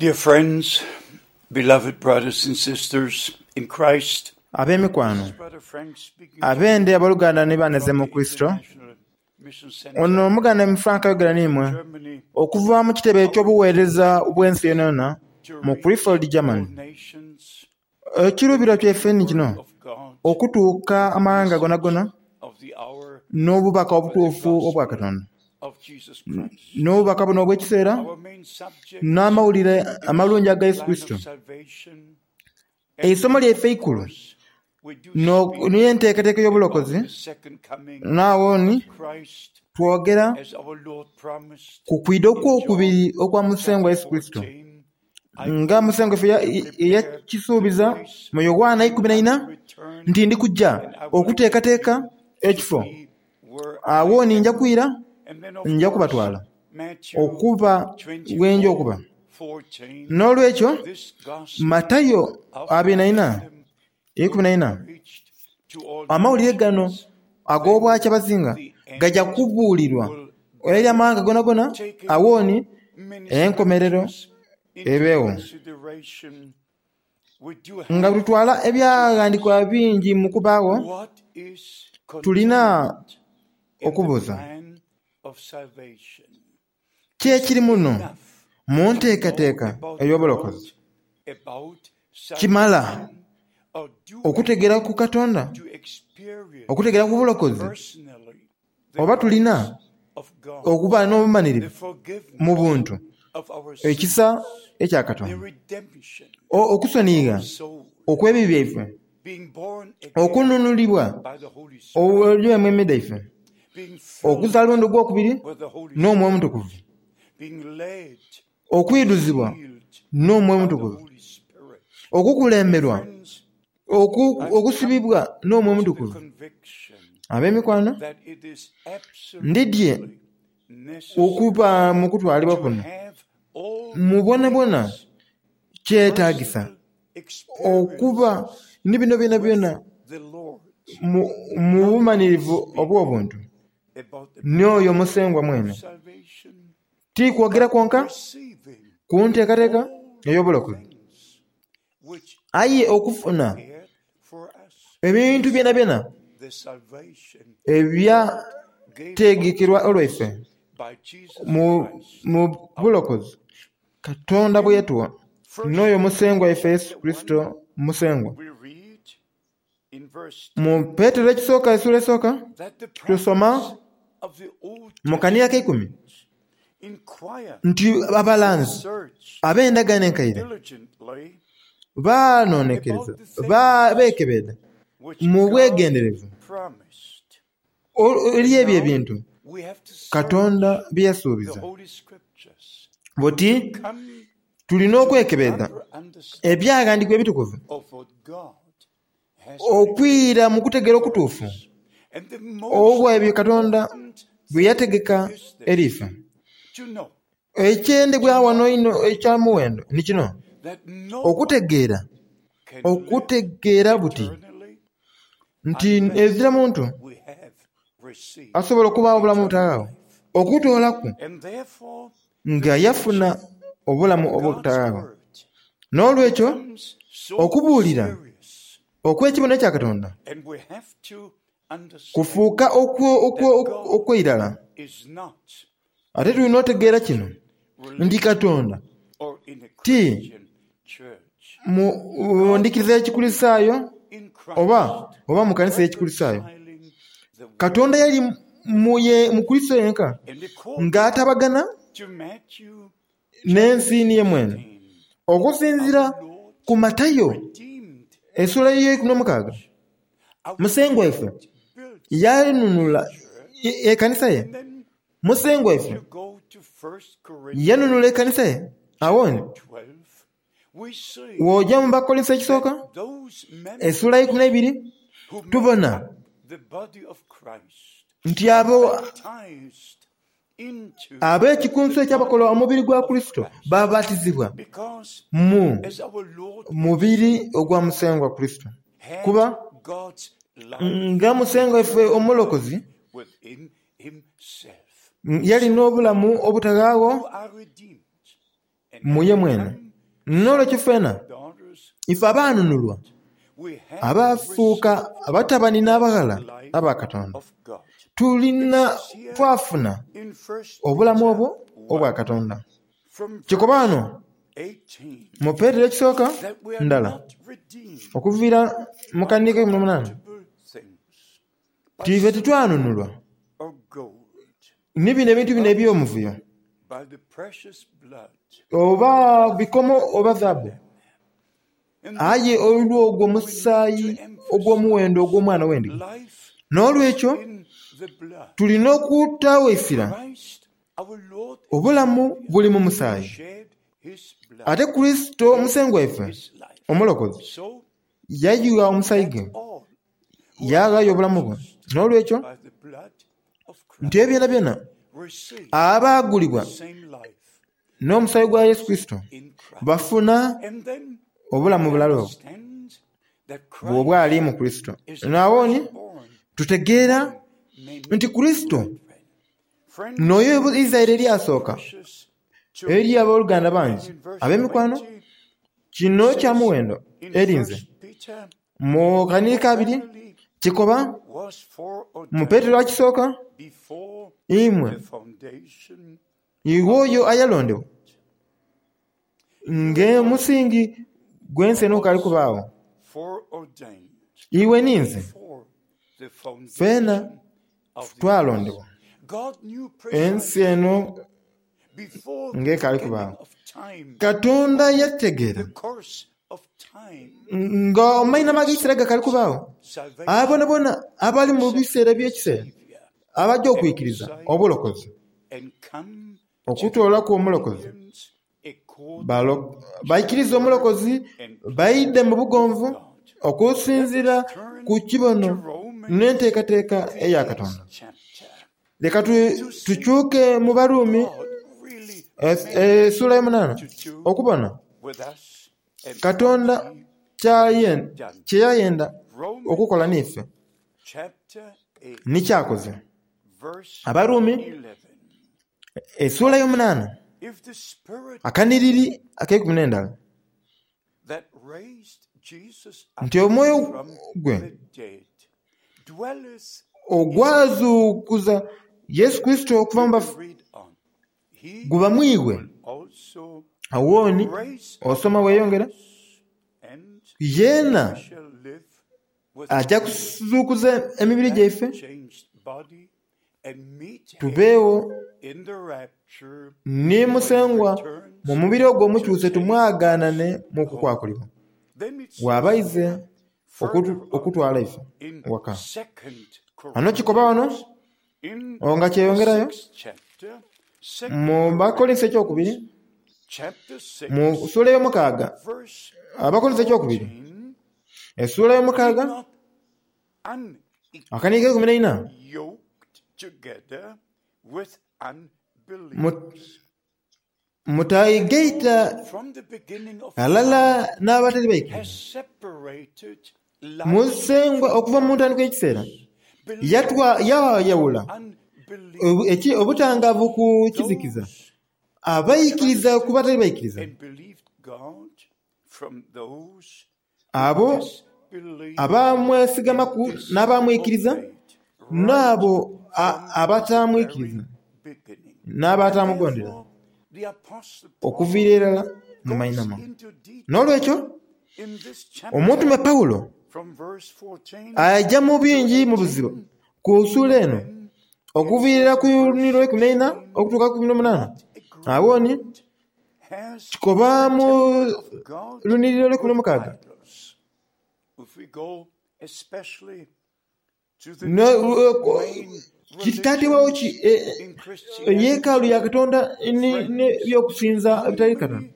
Dear friends, beloved brothers and sisters in Christ, Ab'emikwano, this is Brother Frank speaking to abende you abooluganda ni baneze from mu the Kristo, International Mission ono Center omuganda mu Frank ayogera n'imwe in Germany, okuva mu kitebe our eky'obuweereza bw'ensi yonayona to mu reach Krefeld, all Germany. nations Ekiruubirwa with the kyaife ni word kino, of God, okutuuka the amawanga message gonagona of the hour n'obubaka for the obutuufu obwa gospel Katonda. of Jesus Christ. N'obubaka buno obw'ekiseera Our main subject n'amawulire is amalungi the aga Yesu plan Kristo. of salvation, and Eisomo of lyaife eikulu course, we do no- speak niyo enteekateeka about y'obulokozi the second coming naawo ni of Christ twogera as our Lord promised ku kwida in John okwokubiri okwa Musengwa chapter Yesu Kristo 14. I nga go Musengwa ife to prepare the eyakisuubiza place mu Yowaana till ikumi na I ina return, nti ndi kujja and I will take okuteekateeka you to ekifo be where I awo ni nja am. kwira And then, of nja course, kubatwala Matthew okuba wenja 24 okuba 14. n'olwekyo This gospel Matayo of the abiri na ina kingdom will ikumi na be ina preached to all amawulire gano nations, then ag'obwakyabazinga the gajja end kubuulirwa will eri come. amawanga gonagona Taking awooni many enkomerero scriptures into ebeewo consideration, we do nga have tutwala to ebyaghandikwa ask bingi mu kubaawo what is tulina contained in the okubuuza plan of salvation. ki Is it ekiri muno enough mu to know nteekateeka about ey'obulokozi God, about kimala salvation, or do we okutegeera need ku Katonda to experience okutegeera ku bulokozi personally the oba tulina grace of God, okuba the n'obumanirivu mu forgiveness buntu of our ekisa sins, ekya the Katonda redemption O- of okusonyiga our soul, okw'ebibi byaife being born again okununulibwa by the Holy Spirit, olw'emu emida ife being filled okuzaalwa ogwokubiri with the Holy n'Omwoyo Spirit, Omutukuvu being led and okwiduzibwa sealed n'Omwoyo by the Omutukuvu Holy Spirit. okukulemberwa Friends, I've come okusibibwa n'Omwoyo to the Omutukuvu conviction ab'emikwano that it is ndidye absolutely necessary okuba mu kutwalibwa to kuno have all mu bwonabwona these kyetaagisa personal okuba experiences ni bino byona with byona the Lord, mu mu not bumanirivu speaking obw'obuntu about the n'oyo plan Musengwa of mwene salvation, ti kwogera but kwonka receiving ku nteekateeka all ey'obulokozi things which aye God okufuna prepared for us, ebintu byona byona the salvation God gave unto ebyategekerwa us olwaife by Jesus mu Christ mu our Lord. bulokozi Katonda bwe In yatuwa First n'oyo Musengwa Peter waife Yesu chapter 1, Kristo Musengwa we read in verse mu 10 Peetero ekisooka essuula esooka that the tusoma prophets of the Old mu kanira ak'eikumi Testament inquired nti and abalanzi searched ab'endagaano enkaire diligently baanoonekereza about the ba- things beekebeeda which mu God bwegenderevu promised. eri And ebyo now ebintu we have to search Katonda bye the yasuubiza Holy Scriptures buti to come tulina to a okwekebeeda proper understanding ebyaghandikwa ebitukuvu of what God has prepared okwira mu kutegeera for okutuufu us. And the most obwa ebyo Katonda important bwe thing yategeka is eri this ife to know, to ekyendebwa know wano ino ekyamuwendo ni kino that no one okutegeera can live okutegeera buti eternally nti unless ezira muntu we have received asobola okubaawo obulamu eternal obutagaawo life. okutoolaku And therefore, the nga yafuna preaching obulamu of God's obutagaawo word n'olwekyo becomes so okubuulira serious. okw'ekibono ekya Katonda And we have to understand kufuuka that God okw'eirala is not ate in tulina a otegeera kino Christian nti religion Katonda or in a ti Christian church. mu God ndikiriza was y'Ekikulisitaayo in oba Christ, oba mu kanisa y'Ekikulisitaayo reconciling the Katonda world. yali mu ye mu Kristo yenka And according ng'atabagana to Matthew n'ensi chapter niye mwene 16, okusinziira our Lord ku Matayo redeemed essuula y'eikumi n'omukaaga church. Our Musengwa waife Lord built yanunula the church. ekanisa ye And then Musengwa if waife you go to First Corinthians yanunula ekanisa ye awoni chapter 12, we see w'ojja mu Bakkolinso that ekisooka those essuula members y'eikumi n'eibiri who make tubona up the body of Christ nti are abo baptized into ab'ekikunsu the ekyabakola body omubiri gwa of Kristo Christ. babatizibwa Because mu as our Lord mubiri ogwa Musengwa Kristo had kuba God's life, nga Musengwa waife eternal life omulokozi within himself. yalina obulamu obutagaawo You are redeemed and mu have ye mwene become N'olwekyo ffena ife abaanunulwa abaafuuka abatabani n'abaghala aba Katonda tulina twafuna obulamu obwo obwa Katonda. Kikoba ghano mu Petero ekisooka ndala okuviira mu kanhiriri ak'eikumi n'omunaana nti ife titwanunulwa ni bino ebintu bino eby'omuvuyo oba bikomo oba zaabu, aye olw'ogwo omusaayi ogw'omuwendo ogw'Omwana w'Endiga. N'olwekyo tulina okutaagho eisira. Obulamu buli mu musaayi, ate Kurisito Musengwa waife Omulokozi yayugha omusaayi gwe, yaaghaayo obulamu bwe. N'olwekyo nti ebyo byonabyona abaagulibwa n'omusaayi gwa Yesu Kurisito bafuna obulamu bulala obwo obwali mu Kurisito. Agho ni tutegeera nti Kurisito n'oyo eizaire eryasooka eri aboluganda bangi ab'emikwano. Kino kya muwendo eri nze. Mu kanhiriri kabiri kikoba mu Petero akisooka, imwe iwe oyo ayalondebwa ng'omusingi gw'ensi eno gukaali kubaagho, iwe ni nze ffena twalondebwa ensi eno ng'ekaali kubaagho. Katonda yategeera nga amainhama ag'ekiseera gakaali kubaagho, abo boonaboona abali mu biseera eby'ekiseera abaja okwikiriza obulokozi, okutoolaku Omulokozi, baikirize Omulokozi baidhe mu bugonvu okusinziira ku kibono n'enteekateeka eya Katonda. Leka tukyuke mu Baruumi essuula y'omunaana okubona Katonda kye yayenda okukola n'ife ni ky'akoze. Abaruumi essuula y'omunaana akanhiriri ak'eikumi n'endala nti omwoyo gwe ogwazuukuza Yesu Kurisito okuva mu bafu guba mu iwe. Agho ni osoma weeyongera, yeena aja kuzuukuza emibiri gyaife tubeegho ni Musengwa mu mubiri ogwo omukyuse tumwagaanane mu kukwakulibwa. Bw'aba aize okutwala ife waka. Ghano kikoba ghano nga kyeyongerayo mu Bakolinso ekyokubiri mu suula ey'omukaaga, Abakolinso ekyokubiri esuula ey'omukaaga akanigo eikumi n'eina Mutaigaita ghalala n'abatali baikiriza. Musengwa okuva mu ntandikwa y'ekiseera yayawula obutangaavu ku kizikiza, abaikiriza ku batali baikiriza. Abo abamwesigamaku n'abamwikiriza, n'abo abatamwikiriza n'abatamugondera, okuviira irala mu mainhama. N'olwekyo, omutume Paulo aja mu bingi mu buzibu ku suula eno, okuviira irala ku lunyiriri lweikumi n'eina okutuuka ku ikumi n'omunaana. Agho ni Kikoba mu lunhiriri olweikumi n'omukaaga kitateebwagho ki yeekaalu ya Katonda n'eby'okusinza ebitali Katonda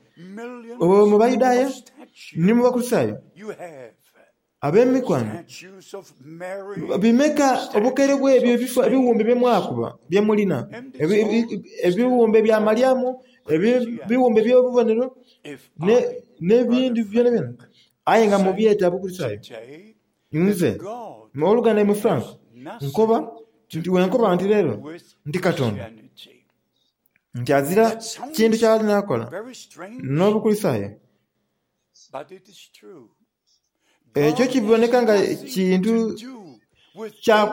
mu Bayudaaya ni mu Bakurisitaayo. Ab'emikwano, bimeka obukaire bw'ebyo ebiwumbe bye mwakuba bye mulina, ebiwumbe bya Malyamu, ebiwumbe eby'obubonero, n'ebindi byonabyona, aye nga mubyeta Bukurisitaayo. Nze, ow'oluganda imwe Frank, nkoba nti bwe nkoba nti leero nti Katonda, nti azira kintu ky'ali nakola n'Obukurisitaayo. Ekyo kiboneka nga kintu kya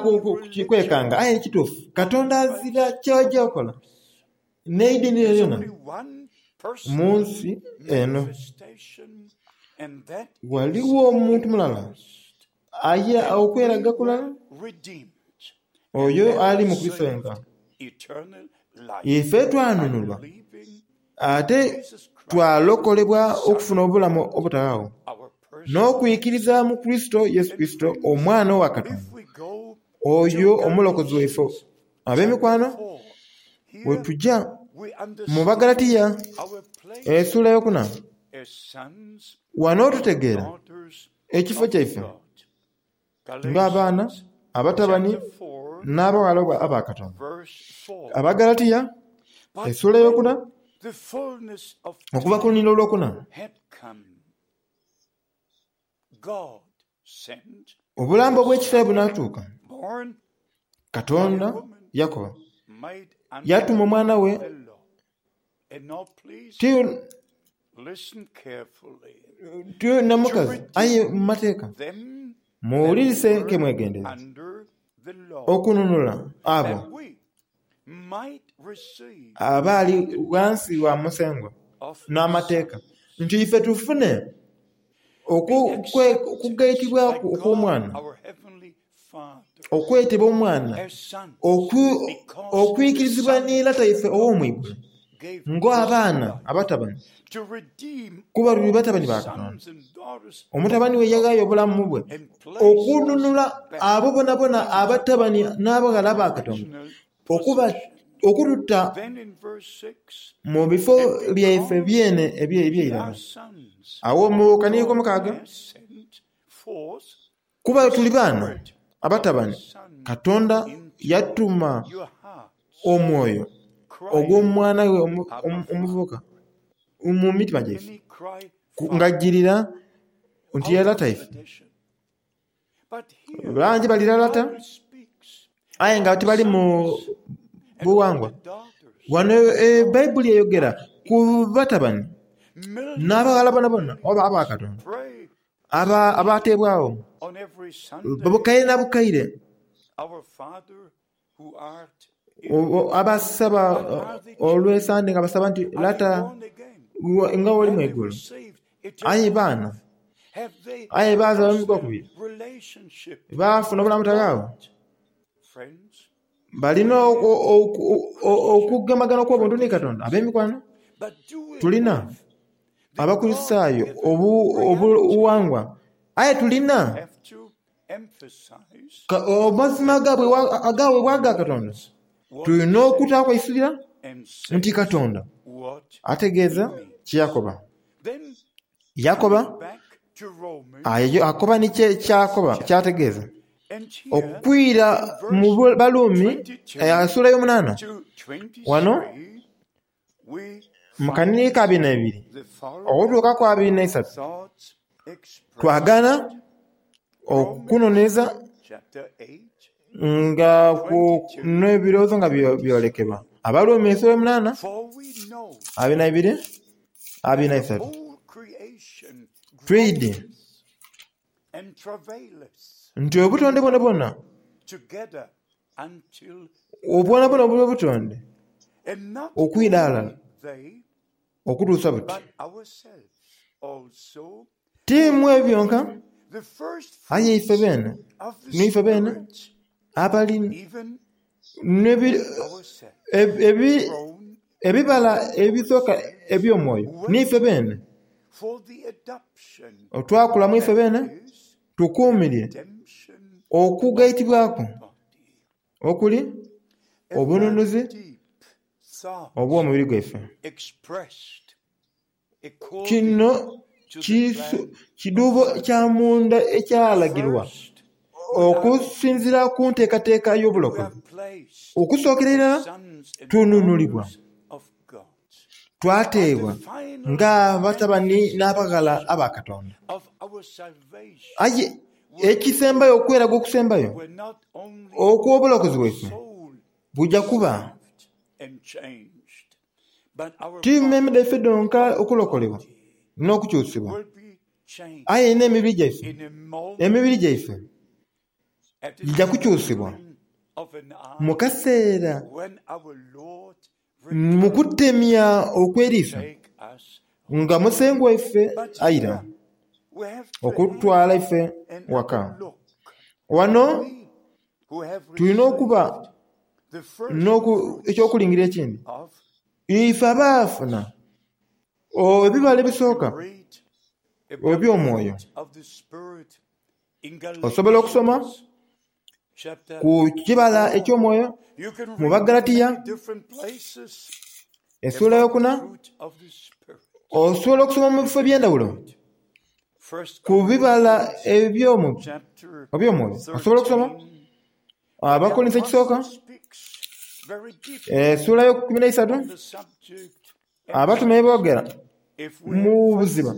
kwekanga aye kituufu. Katonda azira ky'aja okola n'eidini lyonalyona mu nsi eno. Ghaligho omuntu mulala aye okweraga kulala, oyo ali mu Kurisito yenka. Ife twanunulwa ate twalokolebwa okufuna obulamu obutaghagho n'okwikiriza mu Kurisito Yesu Kurisito Omwana owa Katonda, oyo Omulokozi waife. Ab'emikwano, bwe tuja mu Bagalatiya esula eyokuna, ghano tutegeera ekifo kyaife ng'abaana, abatabani n'abaghala aba Katonda. Abagalatiya esula eyokuna okuva ku luninda olwokuna. Obulambo obw'ekisa bwe bunaatuuka, Katonda yakoba, yatuma omwana we ti na mukazi aye mu mateeka. Muwulirise ke mwegendereza okununula abo abaali ghansi wa Musengwa n'Amateeka, nti ife tufune okugaitibwa okw'Omwana, okwetebwa omwana, okwikirizibwa ni Lata ife ow'omu igulu ng'abaana abatabani, kuba tuli batabani ba Katonda. Omutabani we yaghaayo obulamu bwe okununula abo bonabona abatabani n'abaghala ba Katonda, okututa mu bifo byaife byene eby'eirala. Agho mu kanhiriri akomukaaga, kuba tuli baana abatabani, Katonda yatuma omwoyo ogw'omwana we omuvubuka mu mitima gyaife, ng'ajirira nti ye Lata ife. Bangi balira lata aye nga tibali mu bughangwa. Ghano Baibuli eyogera ku batabani n'abaghala bonabona oba aba Katonda abateebwagho bukaire na bukaire abasaba olw'esande nga basaba nti, Lata nga woli mu igulu. Aye baana, aye baazaalwa omulundi gwokubiri, baafuna obulamu obutaghagho. Balina okugemagana okw'obuntu ni Katonda. Ab'emikwano, tulina Abakurisitaayo obughangwa, aye tulina amazima agaweebwa aga Katonda. Tulina okutaaku eisirira nti Katonda ategeeza kye yakoba. Yakoba akoba ni kyakoba kyategeeza. Okwira mu Baluumi esula eyomunaana ghano mu kanhiriri ka abiri n'eibiri okutuuka ku 23 twagana okunonereza nga n'ebirowoozo nga byolekebwa. Abaluumi esula eyomunaana 22 23 twidhi nti obutonde bwonabwona bwonabwona obw'obutonde okwidha aghalala okutuusa buti ti mu ebyo byonka aye ife beene n'ife beene abali ebibala ebisooka eby'omwoyo n'ife beene twakula mu ife beene tukuumirye okugaitibwaku okuli obununuzi obw'omubiri gwaife. Kino kidhuubo kya munda ekyalagirwa okusinziira ku nteekateeka y'obulokozi. Okusookera irala tununulibwa, twateebwa ng'abatabani n'abaghala aba Katonda. Aye ekisembayo, okweraga okusembayo okw'obulokozi bwaife buja kuba ti mmeeme dhaife dhonka okulokolebwa n'okukyusibwa. Aye n'emibiri gyaife, emibiri gyaife gija kukyusibwa mu kaseera mu kutemya okw'eriiso nga Musengwa waife aira okututwala ife waka. Wano tulina okuba eky'okulingirira ekindi. Ife abaafuna ebibala ebisooka eby'omwoyo, osobola okusoma ku kibala eky'omwoyo mu Bagalatiya essuula eyokuna, osobola okusoma mu bifo eby'endhawulo ku bibala eby'omwoyo. Osobola okusoma Abakolinso ekisooka essuula ey'eikumi n'eisatu abatume boogera mu buziba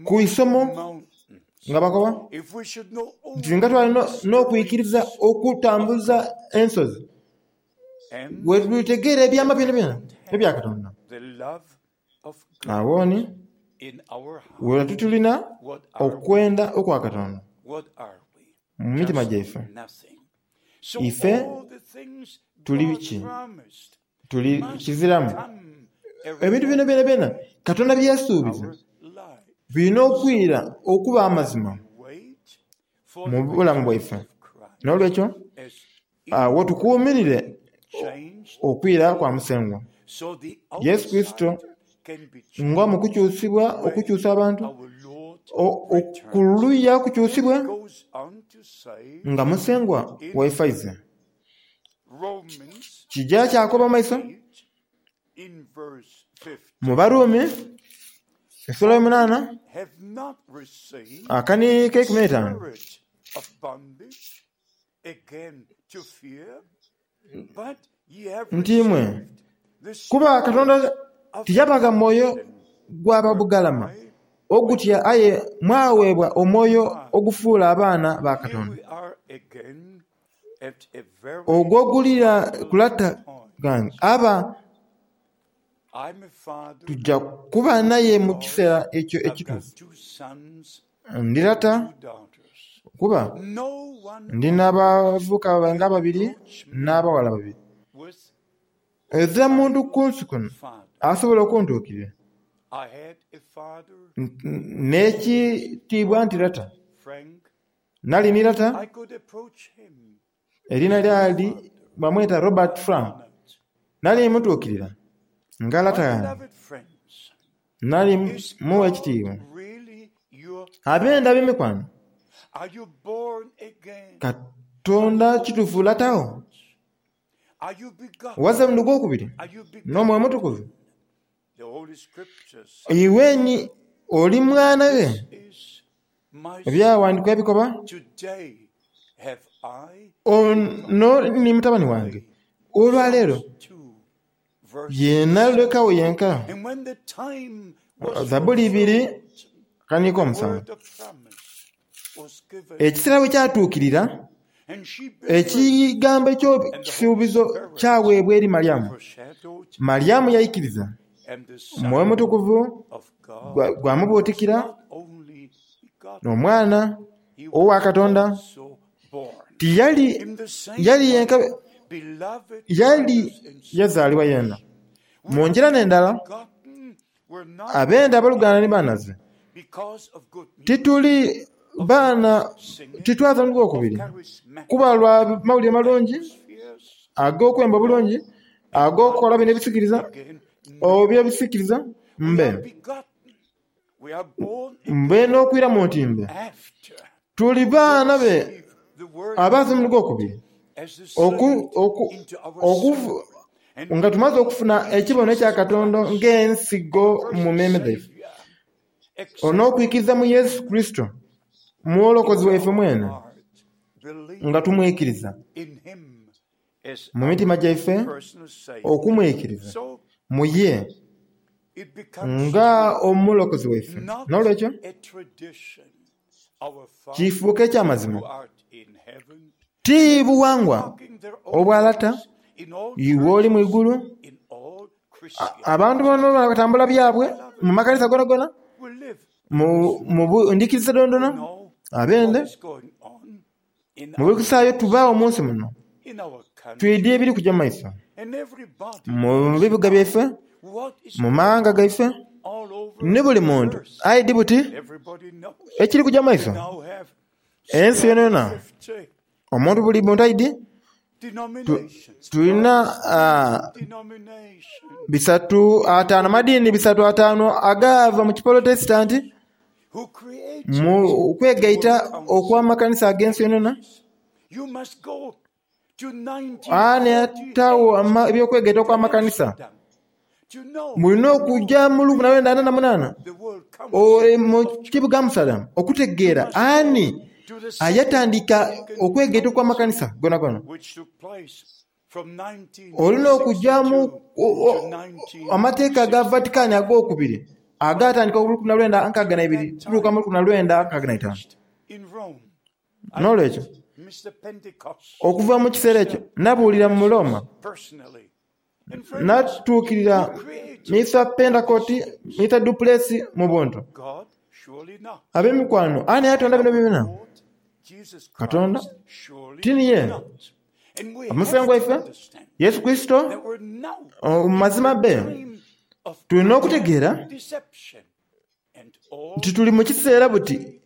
ku isomo nga bakoba nti singa twali n'okwikiriza okutambuza ensozi, bwe tulitegeera ebyama byonabyona ebya Katonda, agho ni wena tulina okwenda okwa Katonda mu mitima gyaife. Ife tuli biki? Tuli kiziramu. Ebintu bino byonabyona Katonda bye yasuubiza birina okwira okuba amazima mu bulamu bwaife. N'olwekyo agho tukuumirire okwira kwa Musengwa Yesu Kurisito nga mu kukyusibwa okukyusa abantu ku luya kukyusibwe nga Musengwa waife aize. Kija kyakoba mu maiso mu Barumi essuula y'omunaana akani k'eikumi n'eitaanu nti imwe, kuba Katonda tiyabagha mwoyo gwa babugalama ogutya aye mwaweebwa omwoyo ogufuula abaana ba Katonda. Ogwo ogulira ku lata ghange aba tuja kuba naye mu kiseera ekyo ekituufu. Ndi lata kuba ndi n'abavubuka nga babiri n'abaghala babiri. Ezira muntu ku nsi kuno asobola okuntuukirira n'ekitiibwa nti lata. Nali ni lata eriina lyali bamweta Robert Frank. Nali mutuukirira nga lata yange. Nali mugha ekitiibwa. Abenda ab'emikwano, Katonda kituufu lata wo? Wazira mulundi gwokubiri n'Omwoyo Omutukuvu? Iwe ni oli mwana ghe? Ebyawandiikibwa bikoba, Ono ni mutabani wange, olwaleero yenalekagho yenka. Zabbuli ibiri akaniiko omusanvu. Ekiseera bwe kyatuukirira, ekigambo eky'ekisuubizo kyaweebwa eri Malyamu. Malyamu yaikiriza, Omwoyo Omutukuvu gwamubuutikira n'Omwana owa Katonda. Tiyali yali yenka, yali yazaalibwa yena. Mu ngira n'endala, abenda aboluganda ni banaze, tituli baana titwaza mu gwokubiri kuba lwa mawulire malungi ag'okwemba obulungi, ag'okukola bino ebisikiriza oba ebisikiriza mbe mbe n'okwiramu nti mbe tuli baana be abaaza mu gwokubiri nga tumaze okufuna ekibono ekya Katonda ng'ensigo mu mmeeme dhaife, n'okwikiriza mu Yesu Kurisito Mwokozi waife mwene, nga tumwikiriza mu mitima gyaife, okumwikiriza mu ye nga Omulokozi waife. N'olwekyo kifuuka eky'amazima ti bughangwa obwa lata iwe oli mu igulu. Abantu bano batambula byabwe mu makanisa gonagona. Mu ndhikiriza dhoonadhoona, abende mu Bukurisitaayo tubaagho mu nsi muno, twidhi ebiri kuja mu maiso mu bibuga byaife, mu maghanga gaife, ni buli muntu aidhi buti ekiri kuja mu maiso. Ensi yonayona, omuntu buli muntu aidhi tulina 350, amadiini 350 agaava mu Kipolotesitanti mu kwegaita okw'amakanisa ag'ensi yonayona. Ani ataagho eby'okwegaita okw'amakanisa? Mulina okuja mu 1948 mu kibuga Amsterdam okutegeera ani ayatandika okwegaita okw'amakanisa gonagona. Olina okuja mu amateeka aga Vatikani ag'okubiri agaatandika mu 1962 okutuuka mu 1965. N'olwekyo, okuva mu kiseera ekyo nabuulira mu Roma, natuukirira Mister Pentecost, Mister Duplessis mu buntu. Ab'emikwano, ani ayatonda bino byona? Katonda? Ti niye? Omusengwa waife Yesu Kurisito? Mu mazima be, tulina okutegeera nti tuli mu kiseera buti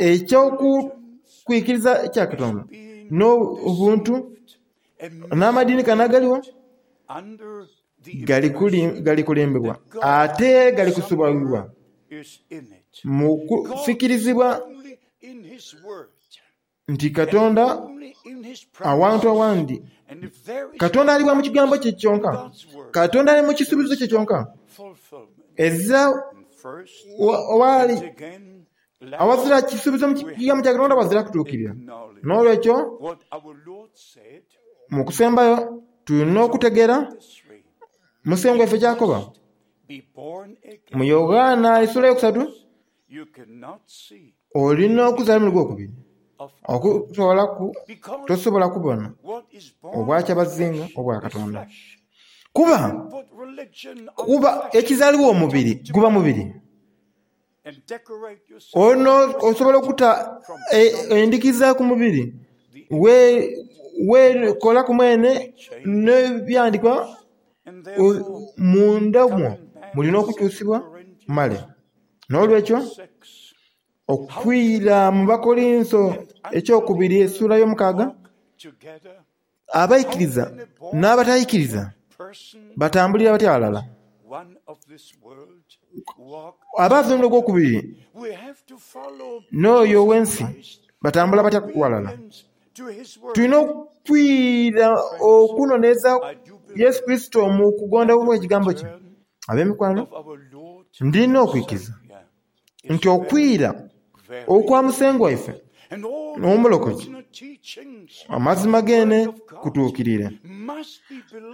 eky'okwikiriza ekya Katonda n'obuntu n'amadiini gano agaligho gali kulimbibwa ate gali kusubwibwa mu kufikirizibwa nti Katonda awantu awandi. Katonda ali bwa mu kigambo kye kyonka. Katonda ali mu kisuubizo kye kyonka. Ezira waali awazira kisuubizo mu kigambo kya Katonda wazira kutuukirira. N'olwekyo mu kusembayo tulina okutegeera Musengwa waife ky'akoba mu Yoghana esula eyokusatu Olina okuzaalibwa omulundi ogwokubiri okutoolaku tosobola kubona Obwakyabazinga obwa Katonda. Kuba, kuba ekizaalibwa omubiri guba mubiri. Ono osobola okuta endhikiza ku mubiri, weekolaku mwene n'ebyandikwa munda mwo mulina okukyusibwa male. N'olwekyo, okwira mu Bakolinso ekyokubiri essuula y'omukaaga, abaikiriza n'abataikiriza batambulira batya ghalala? Abaava omulundi ogwokubiri n'oyo ow'ensi batambula batya ghalala? Tulina okwira okunonereza Yesu Kurisito mu kugonda okw'ekigambo kye. Ab'emikwano, ndina okwikiriza nti okwira okwa Musengwa waife n'Omulokozi amazima geene kutuukiriire.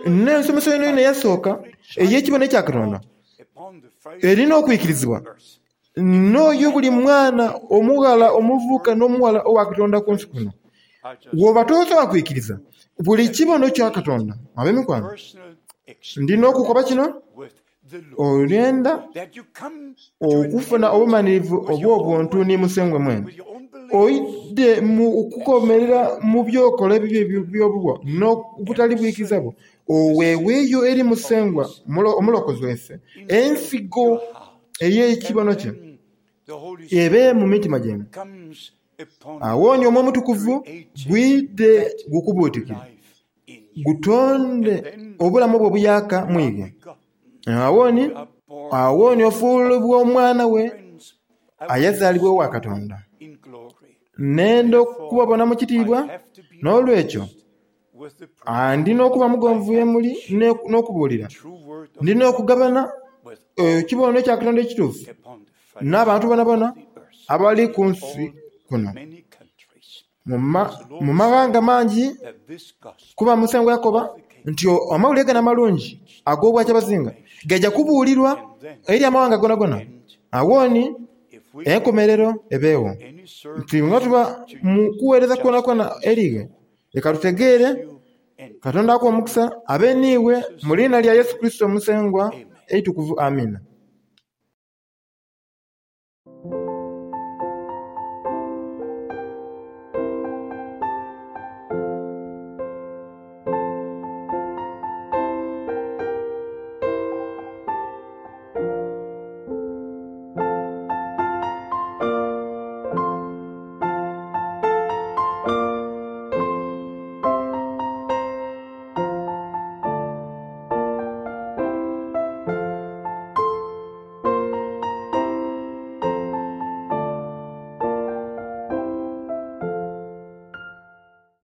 N'ensomesa yoonayoona eyasooka ey'ekibono ekya Katonda erina okwikirizibwa n'oyo buli mwana omughala, omuvubuka n'omughala owa Katonda ku nsi kuno. Bw'oba tosobola kwikiriza buli kibono kya Katonda, ab'emikwano, ndi n'okukoba kino, olwenda okufuna obumanhirivu obw'obuntu ni Musengwa mwene, oidhe mu kukomerera mu by'okola ebibyo eby'obuwa n'obutali bwikiriza bwo, oweeweeyo eri Musengwa Omulokozi waife ensigo ey'ekibono kye ebe mu mitima gyaimwe. Agho ni Omwoyo Omutukuvu gwidhe gukubuutikire, gutonde obulamu obwo obuyaaka mu iwe. Agho ni, agho ni ofuulibwa omwana we ayazaalibwa owa Katonda. Nenda okubabona mu kitiibwa, n'olwekyo ndi n'okuba mugonvu ye muli n'okubuulira. Ndi n'okugabana ekibono kya Katonda ekituufu n'abantu boonaboona abali ku nsi kuno mu maghanga mangi, kuba Musengwa yakoba nti amawulire gano amalungi ag'Obwakyabazinga gaja kubuulirwa eri amawanga goonagoona. Agho ni enkomerero ebeegho. Nti nga tuba mu kuweereza kwonakwona eri ghe, leka tutegeere Katonda akuwe omukisa abe n'iwe mu liina lya Yesu Kurisito Musengwa eitukuvu. Amiina.